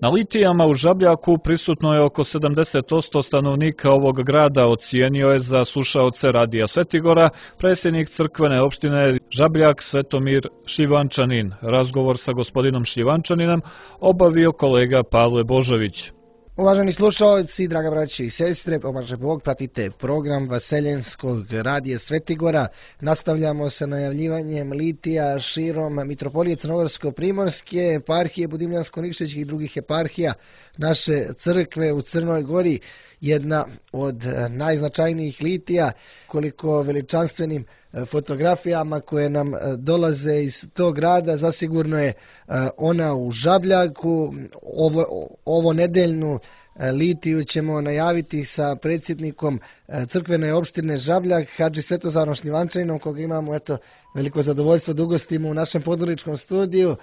Na litijama u Žabljaku prisutno je oko 70% stanovnika ovog grada, ocijenio je za slušaoce Radija Svetigora predsjednik crkvene opštine Žabljak Svetomir Šljivančanin. Razgovor sa gospodinom Šljivančaninom obavio kolega Pavle Božović. Uvaženi slušalci, draga braći i sestre, pomaže Bog, pratite program Vaseljenskog Radija Svetigora. Nastavljamo sa najavljivanjem litija širom Mitropolije Crnogorsko-Primorske, eparhije Budimljansko-Nikšićih i drugih eparhija naše crkve u Crnoj Gori. Jedna od najznačajnijih litija, koliko veličanstvenim fotografijama koje nam dolaze iz tog grada, zasigurno je ona u Žabljaku. Ovo nedeljnu litiju ćemo najaviti sa predsjednikom crkvene opštine Žabljak, Hadži Svetozarom Šljivančaninom, koga imamo veliko zadovoljstvo da ugostimo u našem podgoričkom studiju.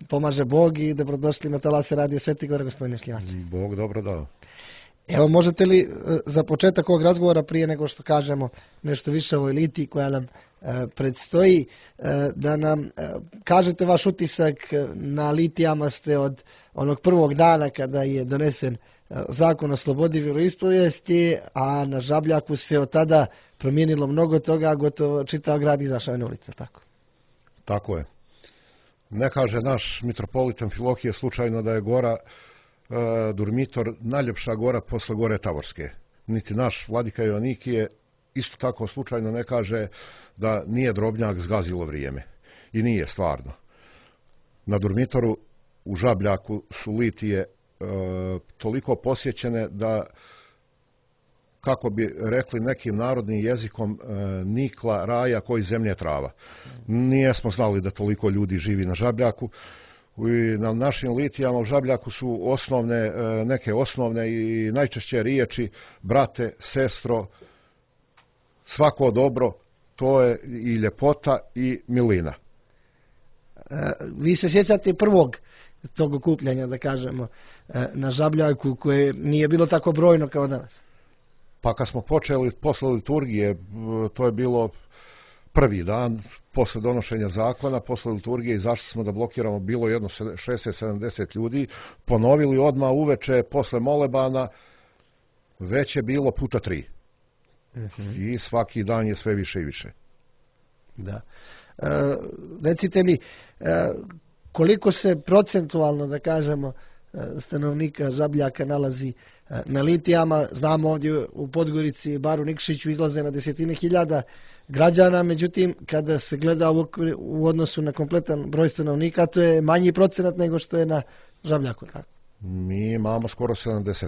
Pomaže Bog i dobrodošli na talase Radio Svetigora, gospodine Šljivančanin. Bog dobro dao. Evo, možete li za početak ovog razgovora, prije nego što kažemo nešto više o ovoj litiji koja nam predstoji, da nam kažete vaš utisak na litijama ste od onog prvog dana kada je donesen zakon o slobodi vjeroispovijesti, a na Žabljaku se od tada promijenilo mnogo toga, gotovo čitav grad izašao na ulice, tako? Tako je. Ne kaže naš mitropolit Amfilohije slučajno da je gora Durmitor najljepša gora posle gore Tavorske. Niti naš vladika Joanikije isto tako slučajno ne kaže da nije Drobnjak zgazilo vrijeme. I nije stvarno. Na Durmitoru u Žabljaku su litije toliko posjećene da, kako bi rekli nekim narodnim jezikom, nikla raja koji zemlje trava. Nijesmo znali da toliko ljudi živi na Žabljaku. I na našim litijama u Žabljaku su neke osnovne i najčešće riječi brate, sestro, svako dobro, to je i ljepota i milina. Vi se sjećate prvog tog okupljanja, da kažemo, na Žabljaku, koje nije bilo tako brojno kao danas? Pa kad smo počeli posle liturgije, to je bilo prvi dan posle donošenja zakona, posle liturgije izašli smo da blokiramo, bilo jedno 60-70 ljudi, ponovili odmah uveče posle molebana, već je bilo puta 3. I svaki dan je sve više i više. Da. Recite mi, koliko se procentualno, da kažemo, stanovnika Žabljaka nalazi na litijama? Znamo ovdje u Podgorici, bar u Nikšiću, izlaze na desetine hiljada građana, međutim, kada se gleda u odnosu na kompletan broj stanovnika, to je manji procenat nego što je na Žabljaku. Mi imamo skoro 70%.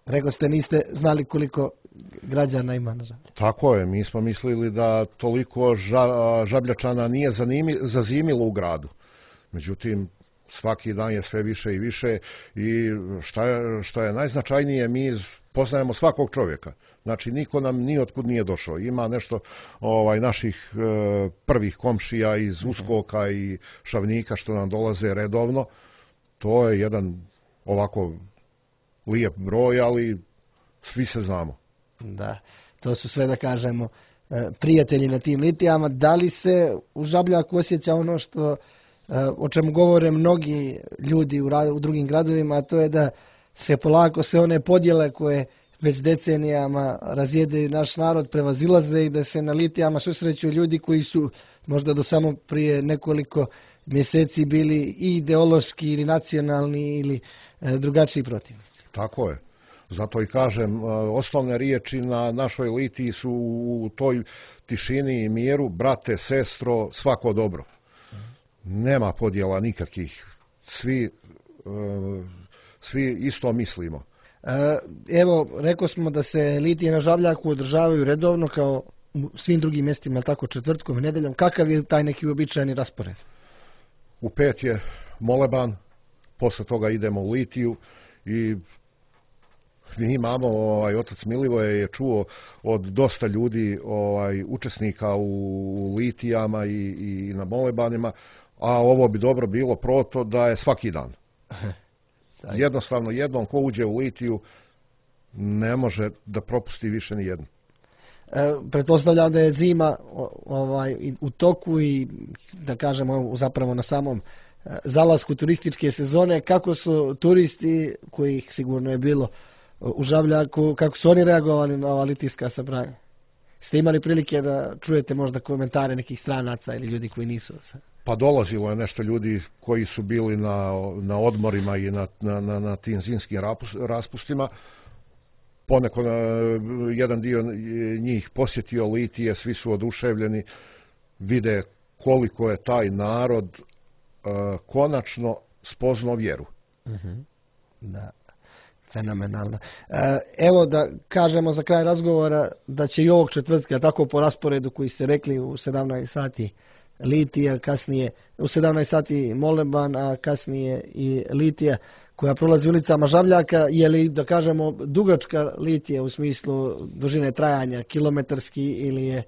Rekao ste, niste znali koliko građana ima na Žabljaku. Tako je, mi smo mislili da toliko Žabljačana nije zazimilo u gradu. Međutim, svaki dan je sve više i više i što je najznačajnije, mi poznajemo svakog čovjeka. Znači, niko nam ni otkud nije došao. Ima nešto naših prvih komšija iz Uskoka i Šavnika što nam dolaze redovno. To je jedan ovako lijep broj, ali svi se znamo. Da, to su sve, da kažemo, prijatelji na tim litijama. Da li se u Žabljaku osjeća ono što o čemu govore mnogi ljudi u drugim gradovima, a to je da se polako sve one podjele koje već decenijama razjedaju naš narod prevazilaze i da se na litijama susreću ljudi koji su možda do samo prije nekoliko mjeseci bili i ideološki ili nacionalni ili drugačiji protivnici? Tako je. Zato i kažem, osnovne riječi na našoj litiji su u toj tišini i miru, brate, sestro, svako dobro. Nema podjela nikakvih. Svi isto mislimo. Evo, rekao smo da se litije na Žabljaku održavaju redovno kao u svim drugim mjestima, tako četvrtkom i nedeljom. Kakav je taj neki uobičajeni raspored? U 5 je moleban, posle toga idemo u litiju i mi imamo, otac Milivoje je čuo od dosta ljudi, učesnika u litijama i na molebanima, a ovo bi dobro bilo proto da je svaki dan. Jednostavno, jednom ko uđe u litiju ne može da propusti više ni jedno. Pretpostavljam da je zima u toku i da kažemo zapravo na samom zalasku turističke sezone, kako su turisti, kojih sigurno je bilo u Žabljaku, kako su oni reagovali na ova litijska sabranja? Ste imali prilike da čujete možda komentare nekih stranaca ili ljudi koji nisu? Pa dolazilo je nešto ljudi koji su bili na odmorima i na tim zimskim raspustima. Poneko jedan dio njih posjetio Litije, svi su oduševljeni, vide koliko je taj narod konačno spoznao vjeru. Da, fenomenalno. Evo da kažemo za kraj razgovora da će i ovog četvrtka, tako po rasporedu koji ste rekli, u 17 sati Litija, kasnije u 17 sati Moleban, a kasnije i Litija koja prolazi ulicama Žabljaka. Je li, da kažemo, dugačka Litija u smislu dužine trajanja, kilometarski, ili je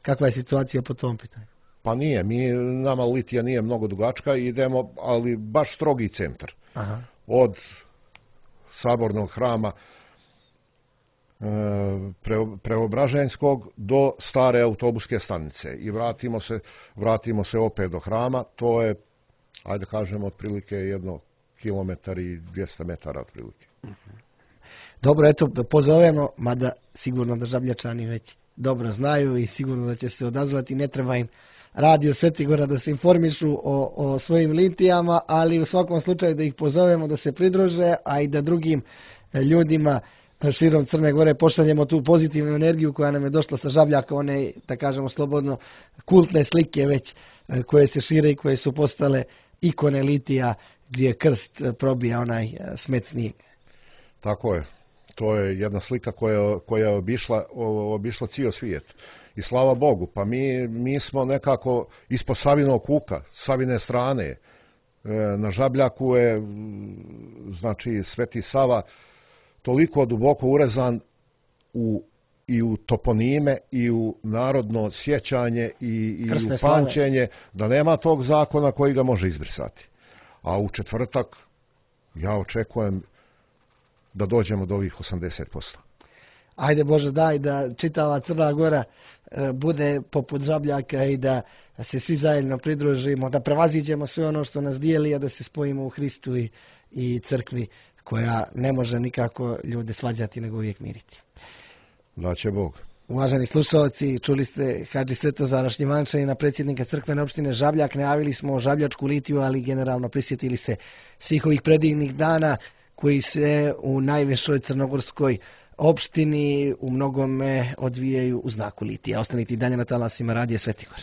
kakva je situacija po tom pitanju? Pa nije, nama Litija nije mnogo dugačka, idemo, ali baš strogi centar. Aha. Od Sabornog hrama Preobraženskog do stare autobuske stanice i vratimo se opet do hrama. To je, ajde kažemo, otprilike 1 kilometar i 200 metara otprilike. Dobro, eto, pozovemo, mada sigurno da Žabljačani već dobro znaju i sigurno da će se odazvati, ne treba im Radio Svetigora da se informišu o svojim litijama, ali u svakom slučaju da ih pozovemo da se pridruže, a i da drugim ljudima širom Crne Gore pošaljemo tu pozitivnu energiju koja nam je došla sa Žabljaka, one, da kažemo slobodno, kultne slike već koje se šire i koje su postale ikone litija gdje krst probija onaj smet snijeg. Tako je. To je jedna slika koja je obišla cijel svijet. I slava Bogu, pa mi smo nekako ispod Savinog kuka, Savine strane. Na Žabljaku je, znači, Sveti Sava toliko duboko urezan i u toponime, i u narodno sjećanje, i u pamćenje, da nema tog zakona koji ga može izbrisati. A u četvrtak ja očekujem da dođemo do ovih 80%. Ajde Bože daj da čitava Crna Gora bude poput Žabljaka i da se svi zajedno pridružimo, da prevaziđemo sve ono što nas dijeli, a da se spojimo u Hristu i crkvi koja ne može nikako ljude svađati nego uvijek miriti. Da će Bog. Uvaženi slušalci, čuli ste Hadži Svetozara Šljivančanina, predsjednika crkvene opštine Žabljak. Najavili smo Žabljačku litiju, ali generalno prisjetili se svih ovih predivnih dana koji se u najvišoj crnogorskoj opštini u mnogome odvijaju u znaku litija. Ostanite i dalje na talasima Radija Svetigora.